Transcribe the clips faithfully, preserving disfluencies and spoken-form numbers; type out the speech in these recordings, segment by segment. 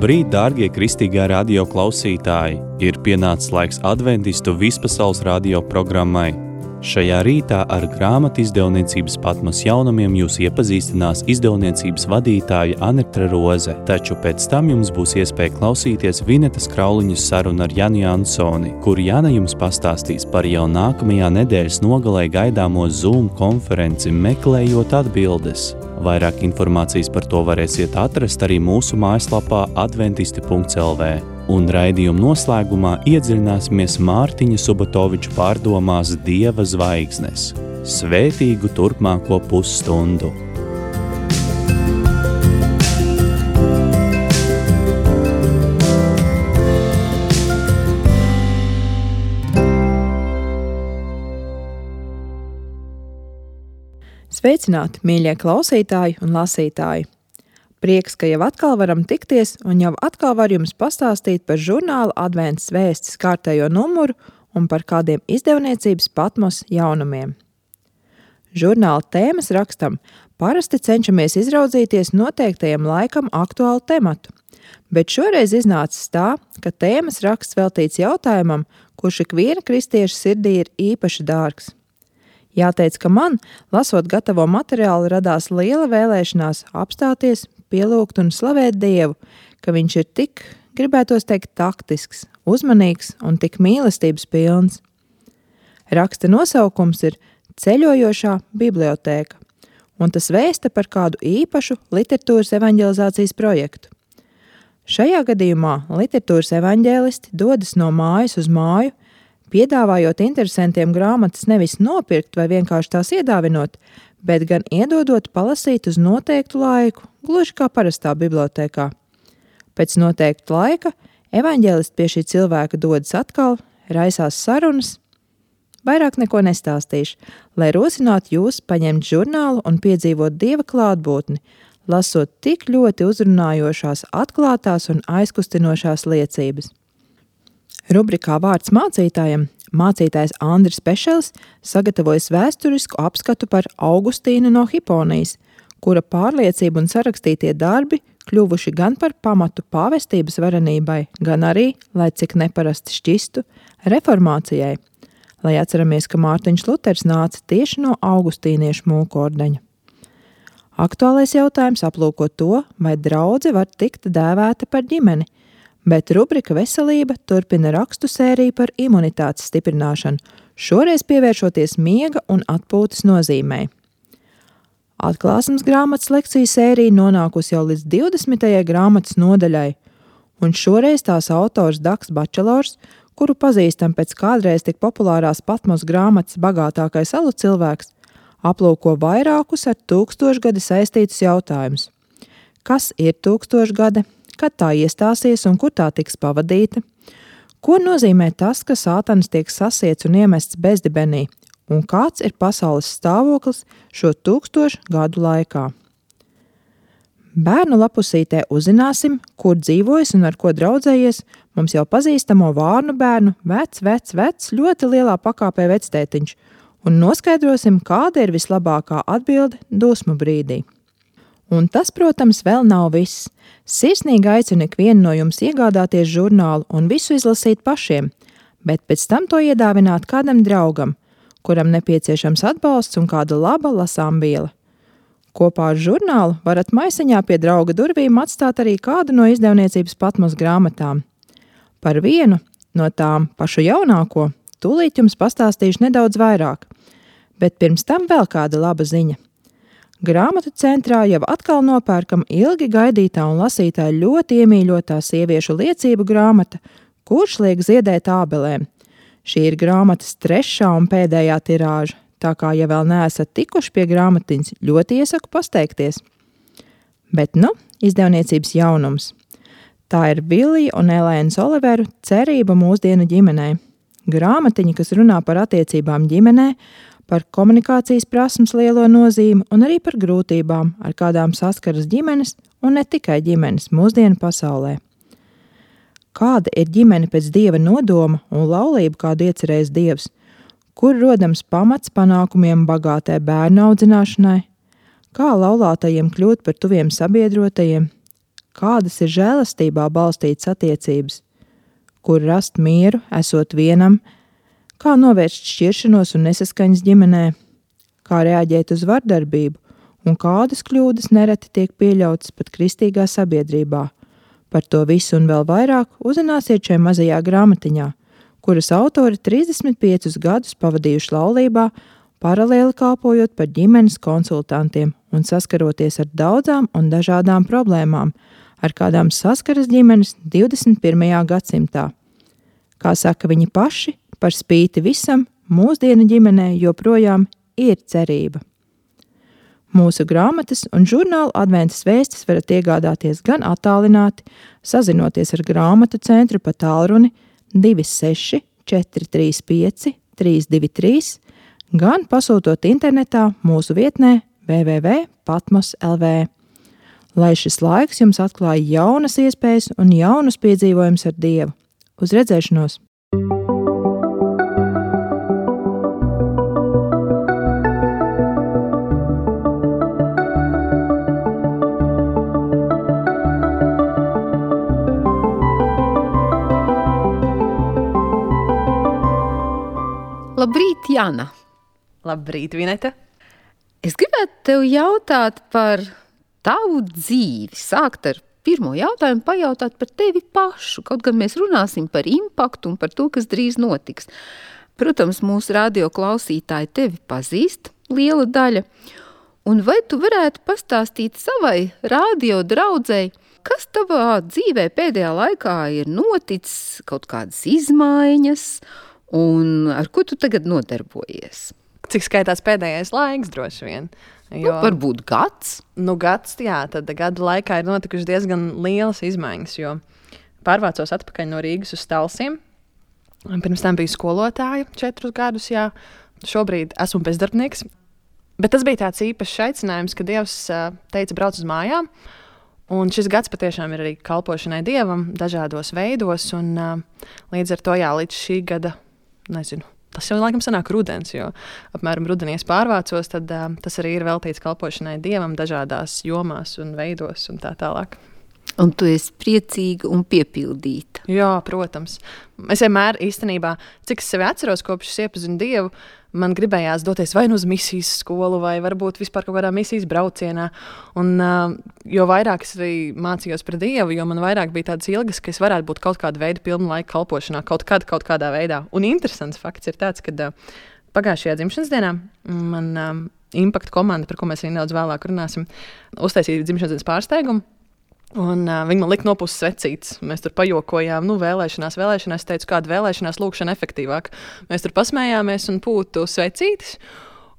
Labrīt, dārgie kristīgā radio klausītāji! Ir pienācis laiks adventistu vispasaules radio programmai. Šajā rītā ar grāmatu izdevniecības Patmos jaunumiem jūs iepazīstinās izdevniecības vadītāja Anitra Roze, taču pēc tam jums būs iespēja klausīties Vinetas Krauliņas sarunu ar Janu Jansoni, kur Jana jums pastāstīs par jau nākamajā nedēļas nogalē gaidāmo Zoom konferenci Meklējot atbildes. Vairāk informācijas par to varēsiet atrast arī mūsu mājaslapā adventisti punkts el vē. Un raidījuma noslēgumā iedziļināsimies Mārtiņa Subotoviča pārdomās Dieva zvaigznes. Svētīgu turpmāko pusstundu! Sveicināti, mīļie klausītāji un lasītāji! Prieks, ka jau atkal varam tikties un jau atkal var jums pastāstīt par žurnāla Adventas vēstis kārtējo numuru un par kādiem izdevniecības Patmos jaunumiem. Žurnāla tēmas rakstam parasti cenšamies izraudzīties noteiktajam laikam aktuālu tematu, bet šoreiz iznācis tā, ka tēmas raksts veltīts jautājumam, kurš ikviena kristieša sirdī ir īpaši dārgs. Jāteic, ka man, lasot gatavo materiālu, radās liela vēlēšanās apstāties, pielūgt un slavēt Dievu, ka viņš ir tik, gribētos teikt, taktisks, uzmanīgs un tik mīlestības pilns. Raksta nosaukums ir Ceļojošā bibliotēka, un tas vēsta par kādu īpašu literatūras evaņģelizācijas projektu. Šajā gadījumā literatūras evaņģēlisti dodas no mājas uz māju, piedāvājot interesantiem grāmatas nevis nopirkt vai vienkārši tās iedāvinot, bet gan iedodot palasīt uz noteiktu laiku, gluži kā parastā bibliotēkā. Pēc noteikta laika evaņģēlisti pie šī cilvēka dodas atkal, raisās sarunas. Vairāk neko nestāstīšu, lai rosinātu jūs paņemt žurnālu un piedzīvot Dieva klātbūtni, lasot tik ļoti uzrunājošās, atklātās un aizkustinošās liecības. Rubrikā Vārds mācītājam mācītājs Andris Pešels sagatavojas vēsturisku apskatu par Augustīnu no Hiponijas, kura pārliecība un sarakstītie darbi kļuvuši gan par pamatu pāvestības varenībai, gan arī, lai cik neparasti šķistu, reformācijai, lai atceramies, ka Mārtiņš Luters nāca tieši no augustīniešu mūkordeņa. Aktuālais jautājums aplūko to, vai draudze var tikt dēvēta par ģimeni, bet rubrika Veselība turpina rakstu sēriju par imunitātes stiprināšanu, šoreiz pievēršoties miega un atpūtas nozīmei. Atklāsmes grāmatas lekciju sērija nonākusi jau līdz divdesmitajai grāmatas nodaļai, un šoreiz tās autors Daks Bačelors, kuru pazīstam pēc kādreiz tik populārās Patmos grāmatas Bagātākais alu cilvēks, aplūko vairākus ar tūkstošgadi saistītus jautājumus. Kas ir tūkstošgade? Kad tā iestāsies un kur tā tiks pavadīta? Ko nozīmē tas, ka sātans tiek sasiets un iemests bezdibenī? Un kāds ir pasaules stāvoklis šo tūkstošu gadu laikā? Bērnu lapusītē uzzināsim, kur dzīvojas un ar ko draudzējies mums jau pazīstamo vārnu bērnu vec, vec, vec, ļoti lielā pakāpē vectētiņš, un noskaidrosim, kāda ir vislabākā atbilde dusmu brīdī. Un tas, protams, vēl nav viss. Sirsnīgi aicinu ikvienu no jums iegādāties žurnālu un visu izlasīt pašiem, bet pēc tam to iedāvināt kādam draugam, kuram nepieciešams atbalsts un kāda laba lasāmviela. Kopā ar žurnālu varat maisiņā pie drauga durvīm atstāt arī kādu no izdevniecības Patmos grāmatām. Par vienu no tām, pašu jaunāko, tūlīt jums pastāstīšu nedaudz vairāk, bet pirms tam vēl kāda laba ziņa. Grāmatu centrā jau atkal nopērkam ilgi gaidītā un lasītāja ļoti iemīļotā sieviešu liecību grāmata, Kurš liek ziedēt ābelēm. Šī ir grāmatas trešā un pēdējā tirāža, tā kā, ja vēl neesat tikuši pie grāmatiņas, ļoti iesaku pasteikties. Bet nu, izdevniecības jaunums. Tā ir Vilija un Elēnas Oliveru Cerība mūsdienu ģimenei. Grāmatiņa, kas runā par attiecībām ģimenē, par komunikācijas prasmes lielo nozīmi un arī par grūtībām, ar kādām saskaras ģimenes un ne tikai ģimenes mūsdienu pasaulē. Kāda ir ģimene pēc Dieva nodoma un laulība, kādu iecerējis Dievs? Kur rodams pamats panākumiem bagātai bērnu audzināšanai? Kā laulātajiem kļūt par tuviem sabiedrotajiem? kādas ir žēlastībā balstītas attiecības, kur rast mieru, esot vienam, kā novērst šķiršanos un nesaskaņas ģimenē, kā reaģēt uz vardarbību un kādas kļūdas nereti tiek pieļautas pat kristīgā sabiedrībā. Par to visu un vēl vairāk uzzināsiet šajā mazajā grāmatiņā, kuras autori trīsdesmit piecus gadus pavadījuši laulībā, paralēli kalpojot par ģimenes konsultantiem un saskaroties ar daudzām un dažādām problēmām, ar kādām saskaras ģimenes divdesmit pirmajā gadsimtā. Kā saka viņi paši, par spīti visam, mūsdienu ģimenē joprojām ir cerība. Mūsu grāmatas un žurnālu Adventas vēstis varat iegādāties gan attālināti, sazinoties ar grāmatu centru pa tālruni divi seši četri trīs pieci trīs divi trīs, gan pasūtot internetā mūsu vietnē w w w punkt patmos punkt l v. Lai šis laiks jums atklāja jaunas iespējas un jaunus piedzīvojumus ar Dievu. Uz redzēšanos! Labrīt, Jana! Labrīt, Vineta! Es gribētu tev jautāt par tavu dzīvi. Sākt ar pirmo jautājumu, pajautāt par tevi pašu. Kaut gan mēs runāsim par impaktu un par to, kas drīz notiks. Protams, mūsu radio klausītāji tevi pazīst, liela daļa. Un vai tu varētu pastāstīt savai radio draudzei, kas tavā dzīvē pēdējā laikā ir noticis, kaut kādas izmaiņas, un ar ko tu tagad nodarbojies? Cik skaitās pēdējais laiks droši vien? Jo, nu, varbūt gads? Nu, gads, jā, tad gadu laikā ir notikuši diezgan lielas izmaiņas, jo pārvācos atpakaļ no Rīgas uz Talsiem. Pirms tam biju skolotāja četrus gadus, jā. Šobrīd esmu bezdarbnieks. Bet tas bija tāds īpašs aicinājums, ka Dievs teica brauc uz mājām. Un šis gads patiešām ir arī kalpošanai Dievam dažādos veidos. Un līdz ar to, jā, līdz šī gada, nezinu, tas jau laikam sanāk rudens, jo apmēram rudenī es pārvācos, tad uh, tas arī ir veltīts kalpošanai Dievam dažādās jomās un veidos un tā tālāk. Un tu esi priecīga un piepildīta. Jā, protams. Es vienmēr īstenībā, cik es sevi atceros, kopš es iepazinu Dievu, man gribējās doties vai nu uz misijas skolu, vai varbūt vispār kaut kādā misijas braucienā. Un, uh, jo vairāk es arī mācījos par Dievu, jo man vairāk bija tādas ilgas, ka es varētu būt kaut kāda veida pilna laika kalpošanā, kaut kad, kaut kādā veidā. Un interesants fakts ir tāds, ka uh, pagājušajā dzimšanas dienā man um, Impact komanda, par ko mēs arī nedaudz vēlāk runāsim, uztaisīja dzimšanas dienas pārsteigumu. Un uh, viņi man lika nopūst svecītes. Mēs tur pajokojām, nu, vēlēšanās, vēlēšanās. Es teicu, kāda vēlēšanās lūkšana efektīvāk. Mēs tur pasmējāmies un pūtu svecītes.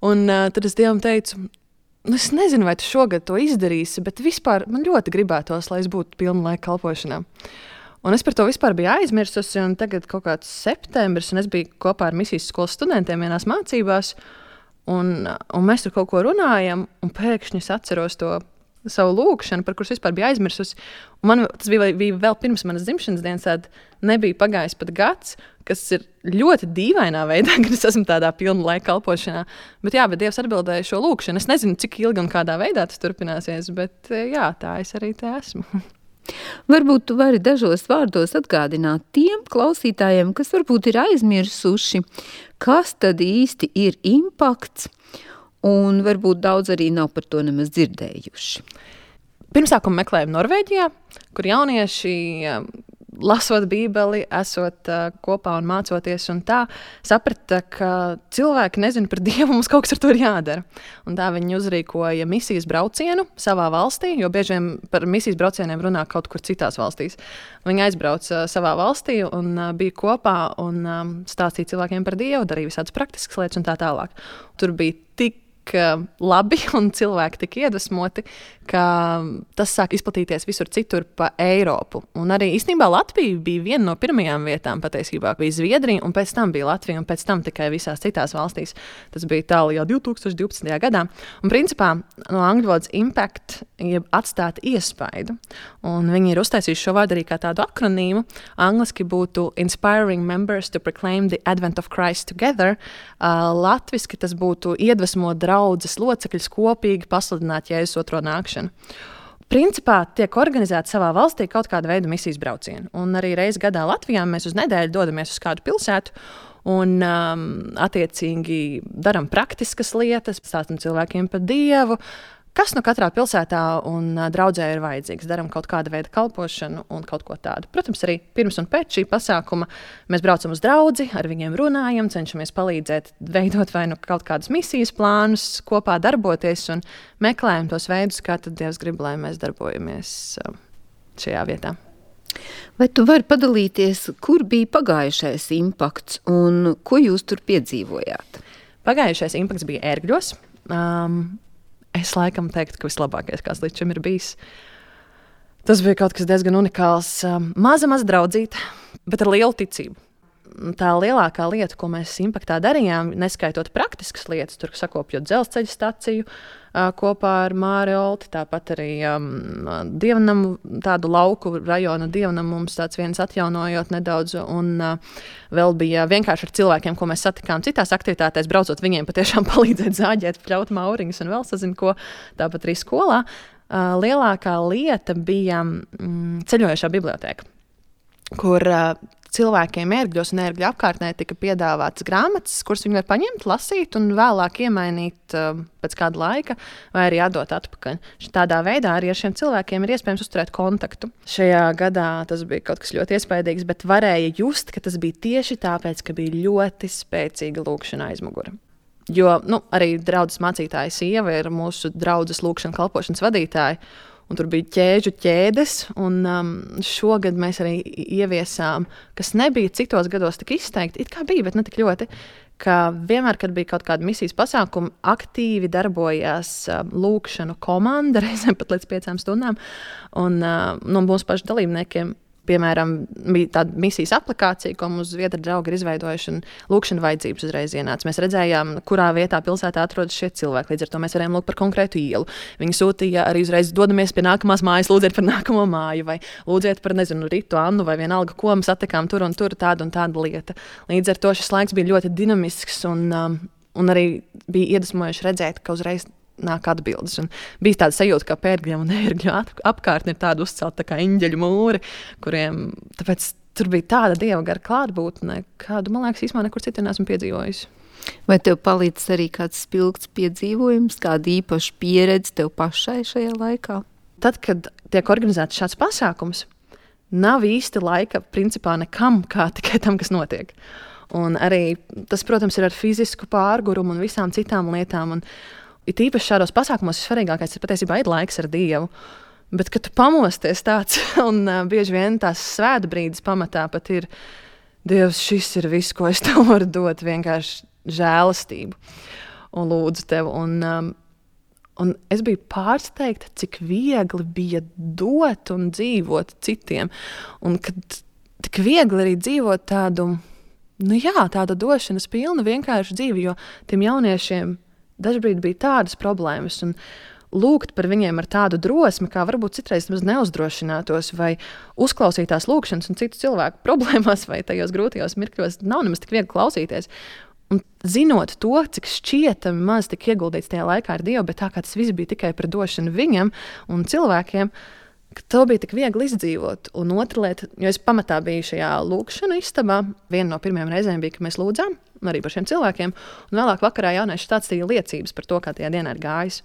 Un uh, tad es Dievam teicu, nu, es nezinu, vai tu šogad to izdarīsi, bet vispār man ļoti gribētos, lai es būtu pilna laika kalpošanā. Un es par to vispār biju aizmirsusi, un tagad kaut kāds septembris, un es biju kopā ar misijas skolas studentiem vienās mācībās, un, un mēs tur kaut ko runājam, un pēkšņi es atceros to savu lūkšanu, par kuras vispār bija aizmirsusi. Un man tas bija, bija vēl pirms manas dzimšanas dienas, tad nebija pagājis pat gads, kas ir ļoti dīvainā veidā, kad es esmu tādā pilna laika kalpošanā. Bet jā, bet Dievs atbildēja šo lūkšanu. Es nezinu, cik ilgi un kādā veidā tas turpināsies, bet jā, tā es arī te esmu. Varbūt tu vari dažos vārdos atgādināt tiem klausītājiem, kas varbūt ir aizmirsuši, kas tad īsti ir impakts, un varbūt daudz arī nav par to nemaz dzirdējuši. Pirmsākumu meklējam Norvēģijā, kur jaunieši, lasot Bībeli, esot uh, kopā un mācoties un tā, saprata, ka cilvēki nezina par Dievu, mums kaut kas ar to ir jādara. Un tā viņi uzrīkoja misijas braucienu savā valstī, jo bieži vien par misijas braucieniem runā kaut kur citās valstīs. Viņi aizbrauca uh, savā valstī un uh, bija kopā un um, stāstīja cilvēkiem par Dievu, darīja visādas praktiskas lietas un tā tālāk. Tur bija tik labi un cilvēki tik iedvesmoti, ka tas sāk izplatīties visur citur pa Eiropu. Un arī īstenībā Latvija bija viena no pirmajām vietām, patiesībā bija Zviedrija, un pēc tam bija Latvija, un pēc tam tikai visās citās valstīs. Tas bija tālu jau divi tūkstoši divpadsmitajā gadā. Un principā no angļu valodas impact, jeb atstāt iespaidu. Un viņi ir uztaisījuši šo vārdu arī kā tādu akronīmu. Angliski būtu Inspiring Members to Proclaim the Advent of Christ Together. Uh, latviski tas būtu iedvesmot draudzes locekļus kopīgi pasludināt Jēzus otro nākšanu. Principā tiek organizēta savā valstī kaut kāda veida misijas braucieni. Un arī reizi gadā Latvijā mēs uz nedēļu dodamies uz kādu pilsētu un um, attiecīgi darām praktiskas lietas, stāstam cilvēkiem par Dievu, kas nu katrā pilsētā un uh, draudzē ir vajadzīgs. Darām kaut kādu veidu kalpošanu un kaut ko tādu. Protams, arī pirms un pēc šī pasākuma mēs braucam uz draudzi, ar viņiem runājam, cenšamies palīdzēt veidot vai nu kaut kādus misijas plānus, kopā darboties un meklējam tos veidus, kā tad Dievs grib, lai mēs darbojamies uh, šajā vietā. Vai tu vari padalīties, kur bija pagājušais impakts un ko jūs tur piedzīvojāt? Pagājušais impakts bija Ērgļos. Um, Es laikam teiktu, ka vislabākais, kāds līdz šim ir bijis. Tas bija kaut kas diezgan unikāls. Maza, maza draudzīte, bet ar lielu ticību. Tā lielākā lieta, ko mēs impaktā darījām, neskaitot praktiskas lietas, tur sakopjot dzelzceļa staciju kopā ar Māri Olti, tāpat arī um, dievnamu, tādu lauku rajonu dievnamu mums tāds viens atjaunojot nedaudz, un uh, vēl bija vienkārši ar cilvēkiem, ko mēs satikām citās aktivitātēs, braucot viņiem patiešām palīdzēt zāģēt, pļaut mauriņus un vēl sazinu ko, tāpat arī skolā. Uh, lielākā lieta bija mm, ceļojošā bibliotēka, kur uh, cilvēkiem Ērgļos un Ērgļu apkārtnē tika piedāvātas grāmatas, kuras viņi var paņemt, lasīt un vēlāk iemainīt uh, pēc kāda laika vai arī atdot atpakaļ. Tādā veidā arī ar šiem cilvēkiem ir iespējams uzturēt kontaktu. Šajā gadā tas bija kaut kas ļoti iespaidīgs, bet varēja just, ka tas bija tieši tāpēc, ka bija ļoti spēcīga lūkšana aizmugure. Jo nu, arī draudzes mācītāja sieva ir mūsu draudzes lūkšana kalpošanas vadītāja. Un tur bija ķēžu ķēdes, un um, šogad mēs arī ieviesām, kas nebija citos gados tik izteikti, it kā bija, bet ne tik ļoti, ka vienmēr, kad bija kaut kāda misijas pasākuma, aktīvi darbojās um, lūkšanu komanda, reizēm pat līdz piecām stundām, un uh, no mūsu pašu dalībniekiem, piemēram, bija tāda misijas aplikācija, ko mūsu zviedru draugi ir izveidojuši, un lūkšana vajadzības uzreiz ienāca. Mēs redzējām, kurā vietā pilsētā atrodas šie cilvēki, līdz ar to mēs varējām lūgt par konkrētu ielu. Viņi sūtīja arī uzreiz dodamies pie nākamās mājas, lūdziet par nākamo māju, vai lūdziet par, nezinu, Ritu, Annu, vai vienalga, ko mēs satikām tur un tur, tāda un tāda lieta. Līdz ar to šis laiks bija ļoti dinamisks, un, um, un arī bija iedvesmojoši redzēt, ka uzreiz nāk atbildes. Un bija tāda sajūta, ka Ērgļiem un Ērgļu apkārtni ir tāda uzcelta tā kā eņģeļu mūri, kuriem tāpēc tur bija tāda dieva gara klātbūtne, kādu, man liekas, īstumā nekur citur neesmu piedzīvojusi. Vai tev palīdz arī kāds spilgts piedzīvojums, kāda īpaša pieredze tev pašai šajā laikā? Tad, kad tiek organizēts šāds pasākums, nav īsti laika principā nekam, kā tikai tam, kas notiek. Un arī tas, protams, ir ar fizisku pārgurumu un visām citām lietām. Un it īpaši šādos pasākumos svarīgākais ir patiesībā ir laiks ar Dievu. Bet, kad tu pamosties tāds, un uh, bieži vien tās svēta brīdis pamatā pat ir, Dievs, šis ir viss, ko es tev varu dot, vienkārši žēlastību un lūdzu tev. Un, um, un es biju pārsteigta, cik viegli bija dot un dzīvot citiem. Un kad tik viegli arī dzīvot tādu, nu jā, tādu došanas pilnu vienkārši dzīvi, jo tiem jauniešiem dažbrīd bija tādas problēmas, un lūgt par viņiem ar tādu drosmi, kā varbūt citreiz maz neuzdrošinātos, vai uzklausīt tās lūkšanas un citu cilvēku problēmās, vai tajos grūtajos mirkļos, nav nemaz tik viegli klausīties. Un zinot to, cik šķietami maz tik ieguldīts tajā laikā ar Dievu, bet tā kā tas viss bija tikai par došanu viņam un cilvēkiem, ka to bija tik viegli izdzīvot. Un otra lieta, jo es pamatā biju šajā lūkšanu istabā, viena no pirmajām reizēm bija, ka mēs lūdzām, arī par šiem cilvēkiem, un vēlāk vakarā jaunieši stāstīja liecības par to, kā tajā dienā ir gājis.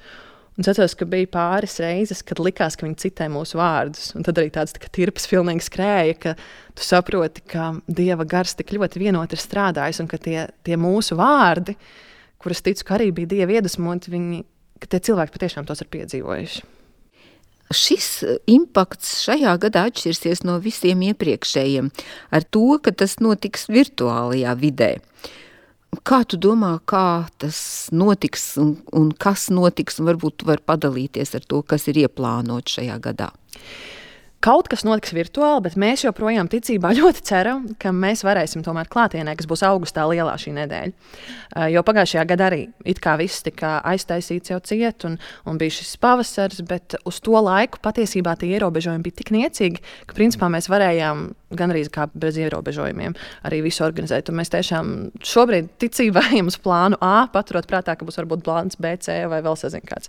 Un es atceros, ka bija pāris reizes, kad likās, ka viņi citē mūsu vārdus, un tad arī tāds tā, tirpas pilnīgi skrēja, ka tu saproti, ka Dieva gars tik ļoti vienot ir strādājis, un ka tie, tie mūsu vārdi, kuras ticu, ka arī bija Dieva iedvesmoti, viņi, ka tie cilvēki patiešām tos ir piedzīvojuši. Šis impakts šajā gadā atšķirsies no visiem iepriekšējiem ar to, ka tas notiks virtuālajā vidē. Kā tu domā, kā tas notiks un, un kas notiks, un varbūt tu vari padalīties ar to, kas ir ieplānots šajā gadā? Kaut kas notiks virtuāli, bet mēs joprojām ticībā ļoti ceram, ka mēs varēsim tomēr klātienē, kas būs augustā lielā šī nedēļa. Jo pagājušajā gadā arī it kā viss tika aiztaisīts jau ciet un, un bija šis pavasars, bet uz to laiku patiesībā tie ierobežojumi bija tik niecīgi, ka principā mēs varējām gandrīz kā bez ierobežojumiem arī visu organizēt. Un mēs tiešām šobrīd ticībā ejam uz plānu A, paturot prātā, ka būs varbūt plāns B, C vai vēl sazin kāds.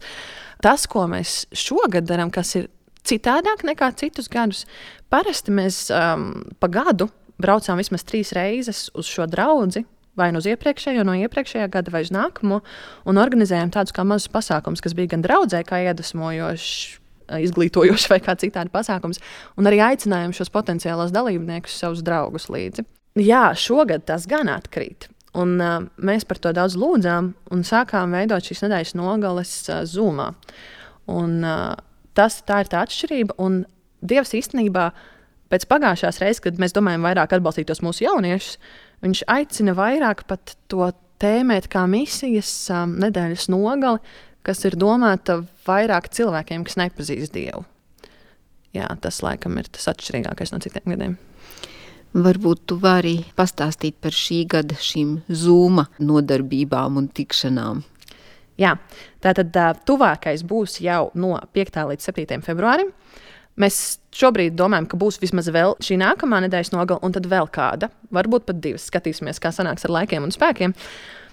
Tas, ko mēs šogad darām, kas ir citādāk nekā citus gadus. Parasti mēs um, pa gadu braucām vismaz trīs reizes uz šo draudzi, vai nu uz iepriekšējo, no iepriekšējā gada, vai uz nākamo, un organizējām tādus kā mazus pasākumus, kas bija gan draudzē, kā iedvesmojošs, izglītojošs vai kā citādi pasākums, un arī aicinājām šos potenciālos dalībniekus, savus draugus līdzi. Jā, šogad tas gan atkrīt. Un, uh, mēs par to daudz lūdzām un sākām veidot šīs nedēļas nogales uh, Zoomā. Un, uh, tas, tā ir tā atšķirība. Un Dievs īstenībā pēc pagājušās reizes, kad mēs domājam vairāk atbalstīt tos mūsu jauniešus, viņš aicina vairāk pat to tēmēt kā misijas um, nedēļas nogali, kas ir domāta vairāk cilvēkiem, kas nepazīst Dievu. Jā, tas laikam ir tas atšķirīgākais no citiem gadiem. Varbūt tu vari pastāstīt par šī gada šīm Zooma nodarbībām un tikšanām. Jā, tātad tuvākais būs jau no piektā līdz septītajam februārim. Mēs šobrīd domājam, ka būs vismaz vēl šī nākamā nedēļas nogala un tad vēl kāda. Varbūt pat divas. Skatīsimies, kā sanāks ar laikiem un spēkiem.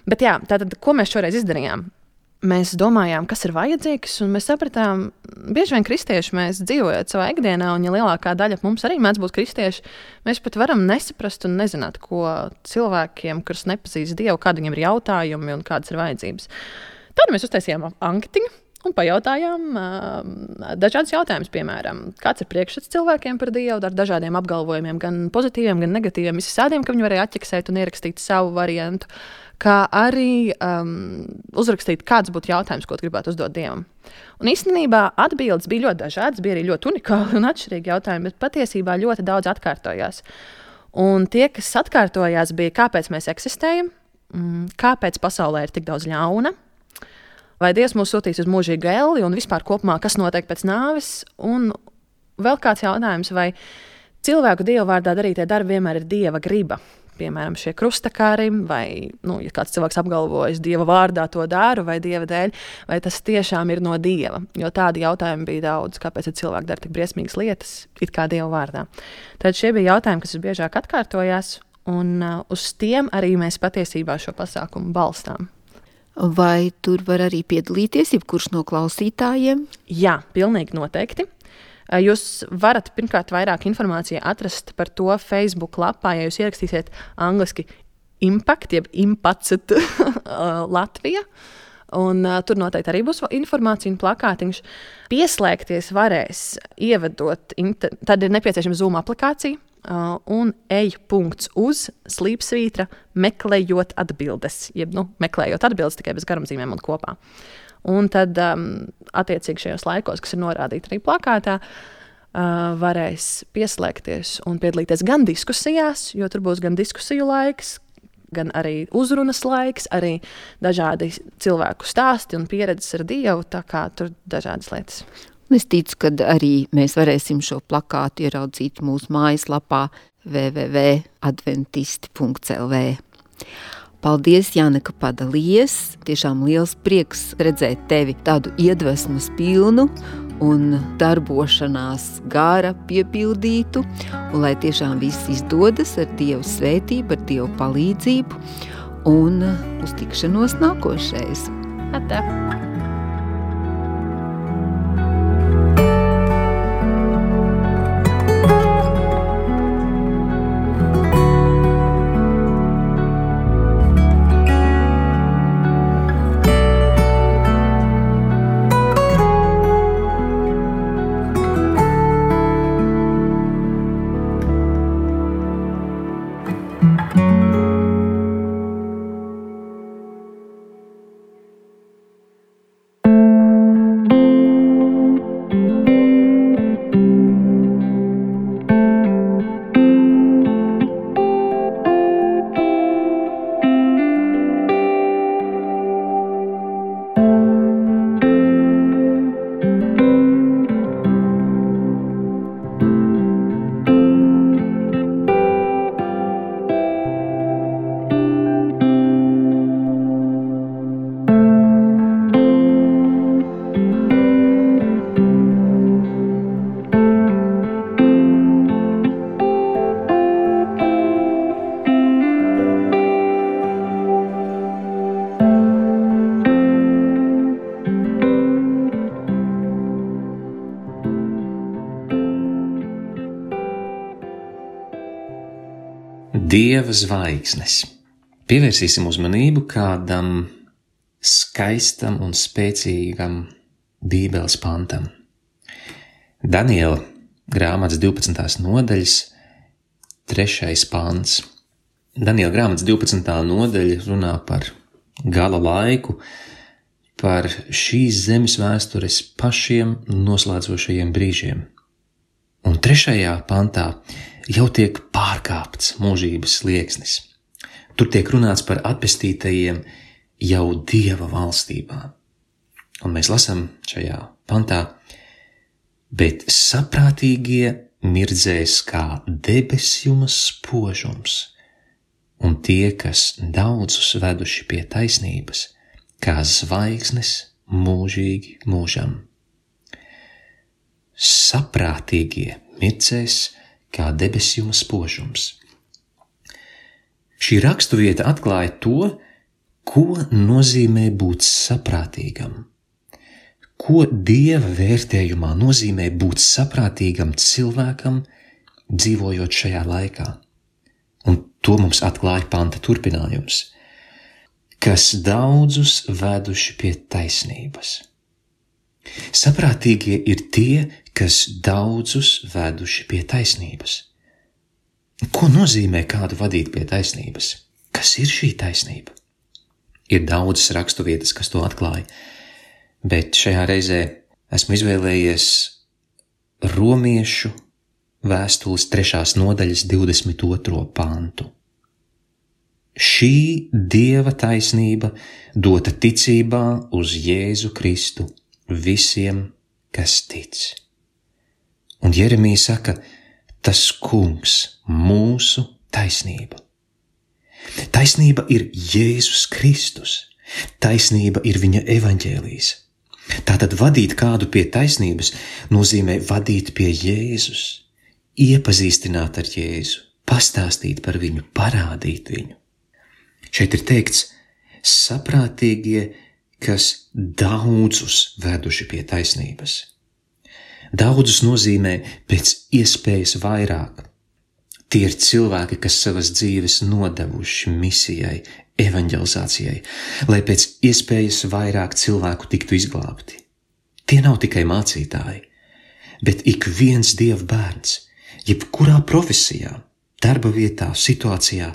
Bet jā, tātad, ko mēs šoreiz izdarījām? Mēs domājām, kas ir vajadzīgs, un mēs sapratām, bieži vien kristieši mēs dzīvojam savā ikdienā, un ja lielākā daļa mums arī mēdz būt kristieši, mēs pat varam nesaprast un nezināt, ko cilvēkiem, kurus nepazīst Dievu, kādi viņiem ir jautājumi un kādas ir vajadzības. Tad mēs uztaisījām anketiņu un pajautājām uh, dažādas jautājumus, piemēram, kāds ir priekšstats cilvēkiem par Dievu ar dažādiem apgalvojumiem, gan pozitīviem, gan negatīviem, visādiem, ka viņi varēja atķeksēt un ierakstīt savu variantu, kā arī um, uzrakstīt, kāds būtu jautājums, ko gribētu uzdot Dievam. Un īstenībā atbildes bija ļoti dažādas, bija arī ļoti unikāli un atšķirīgi jautājumi, bet patiesībā ļoti daudz atkārtojās. Un tie, kas atkārtojās, bija, kāpēc mēs eksistējam, kāpēc pasaulē ir tik daudz ļauna, vai Dievs mūs sūtīs uz mūžīgu elli un vispār kopumā, kas notiek pēc nāves, un vēl kāds jautājums, vai cilvēku Dievu vārdā darītie darbi vienmēr ir Dieva griba. Piemēram, šie krustakāri, vai, nu, ja kāds cilvēks apgalvojas Dieva vārdā to daru, vai Dieva dēļ, vai tas tiešām ir no Dieva. Jo tādi jautājumi bija daudz, kāpēc cilvēki dara tik briesmīgas lietas, it kā Dieva vārdā. Tad šie bija jautājumi, kas visbiežāk atkārtojās, un uh, uz tiem arī mēs patiesībā šo pasākumu balstām. Vai tur var arī piedalīties jebkurš no klausītājiem? Jā, pilnīgi noteikti. Jūs varat pirmkārt vairāk informāciju atrast par to Facebook lapā, ja jūs ierakstīsiet angliski Impact, jeb Impacet Latvija. Un, uh, tur noteikti arī būs informācija un plakātiņš. Pieslēgties varēs, ievedot, inter... tad ir nepieciešama Zoom aplikācija uh, un ej punkts uz slīpsvītra meklējot atbildes, jeb nu, meklējot atbildes tikai bez garumzīmēm un kopā. Un tad, um, attiecīgi šajos laikos, kas ir norādīti arī plakātā, uh, varēs pieslēgties un piedalīties gan diskusijās, jo tur būs gan diskusiju laiks, gan arī uzrunas laiks, arī dažādi cilvēku stāsti un pieredzes ar Dievu, tā kā tur dažādas lietas. Es ticu, ka arī mēs varēsim šo plakātu ieraudzīt mūsu mājaslapā w w w punkt adventisti punkt l v. Paldies, Jāne, ka padalījies. Tiešām liels prieks redzēt tevi tādu iedvesmas pilnu un darbošanās gara piepildītu, un lai tiešām viss izdodas ar Dievu svētību, ar Dievu palīdzību, un uz tikšanos nākošais. Atā. Dieva zvaigznes. Pievērsīsim uzmanību kādam skaistam un spēcīgam Bībeles pantam. Daniela grāmatas divpadsmitās nodaļas trešais pants. Daniela grāmatas divpadsmitā nodaļa runā par gala laiku, par šīs zemes vēstures pašiem noslēdzošajiem brīžiem. Un trešajā pantā jau tiek pārkāpts mūžības slieksnis. Tur tiek runāts par atpestītajiem jau Dieva valstībā. Un mēs lasām šajā pantā, bet saprātīgie mirdzēs kā debesjuma spožums, un tie, kas daudzus veduši pie taisnības, kā zvaigznes mūžīgi mūžam. Saprātīgie mirdzēs kā debesjuma spožums. Šī raksturvieta atklāja to, ko nozīmē būt saprātīgam. Ko Dieva vērtējumā nozīmē būt saprātīgam cilvēkam, dzīvojot šajā laikā. Un to mums atklāja panta turpinājums, kas daudzus veduši pie taisnības. Saprātīgie ir tie, kas daudzus veduši pie taisnības. Ko nozīmē kādu vadīt pie taisnības? Kas ir šī taisnība? Ir daudzas raksturvietas, kas to atklāja, bet šajā reizē esmu izvēlējies Romiešu vēstules trešās nodaļas divdesmit otro pantu. Šī Dieva taisnība dota ticībā uz Jēzu Kristu visiem, kas tic. Un Jeremija saka, tas kungs, mūsu taisnība. Taisnība ir Jēzus Kristus. Taisnība ir viņa evaņģēlijs. Tātad vadīt kādu pie taisnības nozīmē vadīt pie Jēzus, iepazīstināt ar Jēzu, pastāstīt par viņu, parādīt viņu. Šeit ir teikts, saprātīgie, kas daudzus veduši pie taisnības. Daudzus nozīmē pēc iespējas vairāk. Tie ir cilvēki, kas savas dzīves nodevuši misijai, evaņģelizācijai, lai pēc iespējas vairāk cilvēku tiktu izglābti. Tie nav tikai mācītāji, bet ik viens Dieva bērns, jebkurā profesijā, darba vietā, situācijā,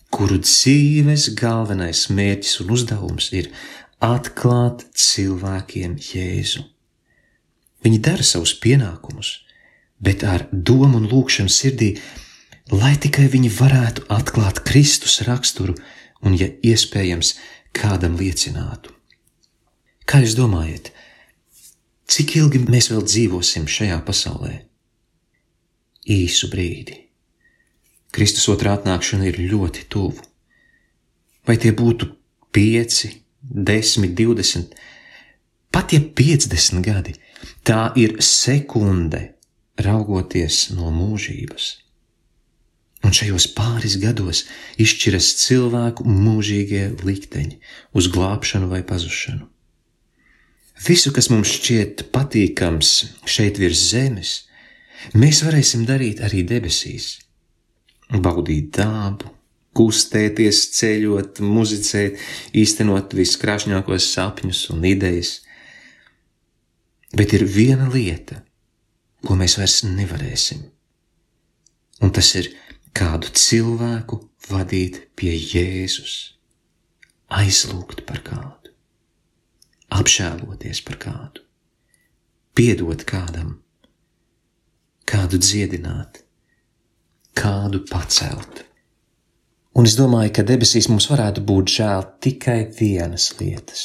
kuru dzīves galvenais mērķis un uzdevums ir atklāt cilvēkiem Jēzu. Viņi dara savus pienākumus, bet ar domu un lūgšanu sirdī, lai tikai viņi varētu atklāt Kristus raksturu un, ja iespējams, kādam liecinātu. Kā jūs domājat, cik ilgi mēs vēl dzīvosim šajā pasaulē? Īsu brīdi. Kristus otrā atnākšana ir ļoti tuvu. Vai tie būtu pieci, desmit, divdesmit, pat ja piecdesmit gadi, tā ir sekunde raugoties no mūžības. Un šajos pāris gados izšķiras cilvēku mūžīgie likteņi uz glābšanu vai pazušanu. Visu, kas mums šķiet patīkams šeit virs zemes, mēs varēsim darīt arī debesīs. Baudīt dabu, kustēties, ceļot, muzicēt, īstenot viskrāšņākos sapņus un idejas. Bet ir viena lieta, ko mēs vairs nevarēsim. Un tas ir kādu cilvēku vadīt pie Jēzus, aizlūgt par kādu, apžēloties par kādu, piedot kādam, kādu dziedināt, kādu pacelt. Un es domāju, ka debesīs mums varētu būt žēl tikai vienas lietas.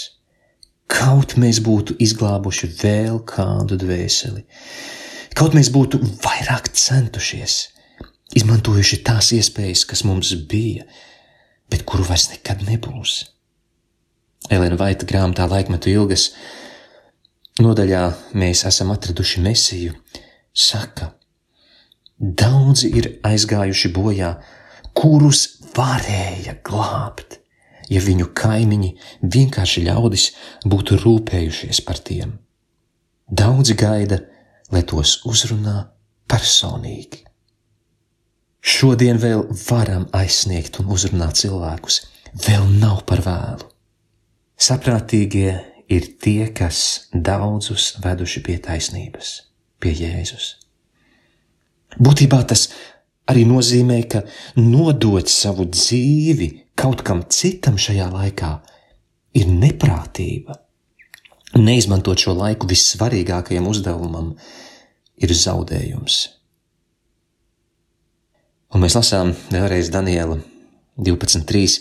Kaut mēs būtu izglābuši vēl kādu dvēseli, kaut mēs būtu vairāk centušies, izmantojuši tās iespējas, kas mums bija, bet kuru vairs nekad nebūs. Elena Vaita grāmatā Laikmetu ilgas nodaļā mēs esam atraduši Mesiju, saka, daudzi ir aizgājuši bojā, kurus varēja glābt, ja viņu kaimiņi, vienkārši ļaudis, būtu rūpējušies par tiem. Daudzi gaida, lai tos uzrunā personīgi. Šodien vēl varam aizsniegt un uzrunāt cilvēkus. Vēl nav par vēlu. Saprātīgie ir tie, kas daudzus veduši pie taisnības, pie Jēzus. Būtībā tas arī nozīmē, ka nodot savu dzīvi kaut kam citam šajā laikā ir neprātība. Neizmantot šo laiku vissvarīgākajam uzdevumam ir zaudējums. Un mēs lasām vēlreiz Daniela divpadsmit trīs.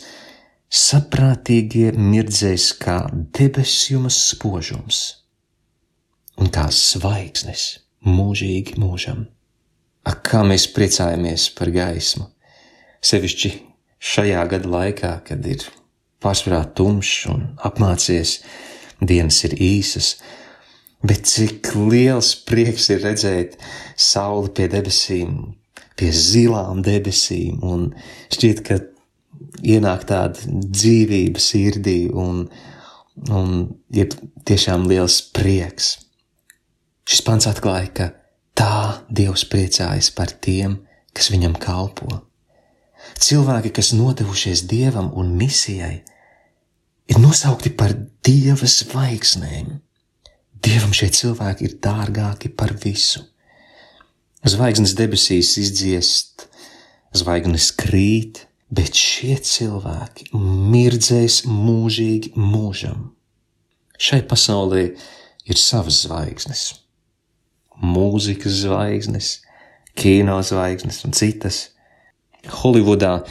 Saprātīgie mirdzēs kā debesjuma spožums un kā zvaigznes mūžīgi mūžam. Ak, kā mēs priecājamies par gaismu, sevišķi šajā gada laikā, kad ir pārsvarā tumšs un apmācies, dienas ir īsas, bet cik liels prieks ir redzēt sauli pie debesīm, pie zilām debesīm, un šķiet, ka ienāk tāda dzīvība sirdī un, un ir tiešām liels prieks. Šis pants atklāja, ka tā Dievs priecājas par tiem, kas viņam kalpo. Cilvēki, kas nodevušies Dievam un misijai, ir nosaukti par Dieva zvaigznēm. Dievam šie cilvēki ir dārgāki par visu. Zvaigznes debesīs izdziest, zvaigznes krīt, bet šie cilvēki mirdzēs mūžīgi mūžam. Šai pasaulē ir savas zvaigznes. Mūzikas zvaigznes, kino zvaigznes un citas. Holivudā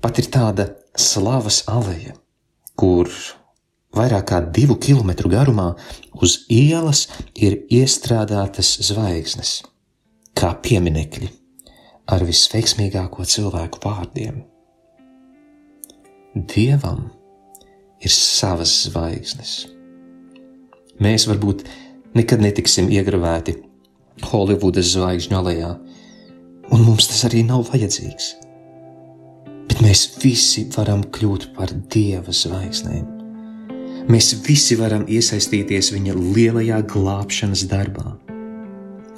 pat ir tāda slavas aleja, kur vairāk kā divu kilometru garumā uz ielas ir iestrādātas zvaigznes, kā pieminekļi ar visveiksmīgāko cilvēku vārdiem. Dievam ir savas zvaigznes. Mēs varbūt nekad netiksim iegravēti Holivudas zvaigžņu alejā, un mums tas arī nav vajadzīgs. Bet mēs visi varam kļūt par Dieva zvaigznēm. Mēs visi varam iesaistīties viņa lielajā glābšanas darbā.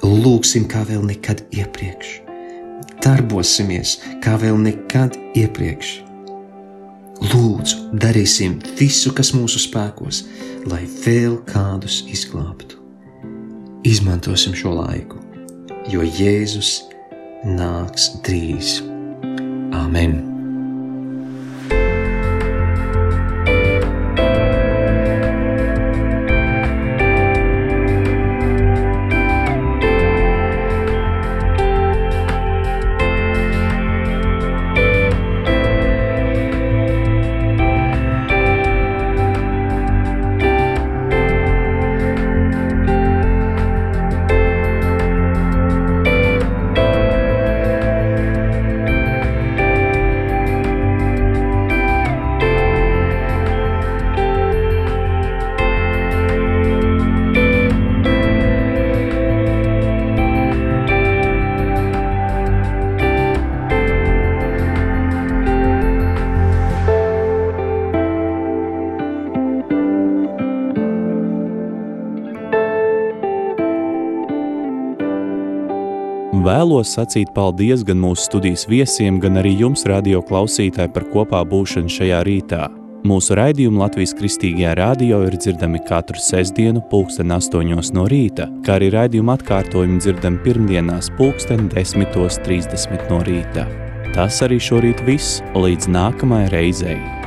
Lūgsim kā vēl nekad iepriekš. Darbosimies kā vēl nekad iepriekš. Lūdzu, darīsim visu, kas mūsu spēkos, lai vēl kādus izglābtu. Izmantosim šo laiku, jo Jēzus nāks drīz. Āmen! Vēlos sacīt paldies gan mūsu studijas viesiem, gan arī jums, radio klausītāji, par kopā būšanu šajā rītā. Mūsu raidījumi Latvijas Kristīgajā radio ir dzirdami katru sestdienu pulksten astoņos no rīta, kā arī raidījuma atkārtojumi dzirdami pirmdienās pulksten desmitos trīsdesmit no rīta. Tas arī šorīt viss, līdz nākamajai reizei.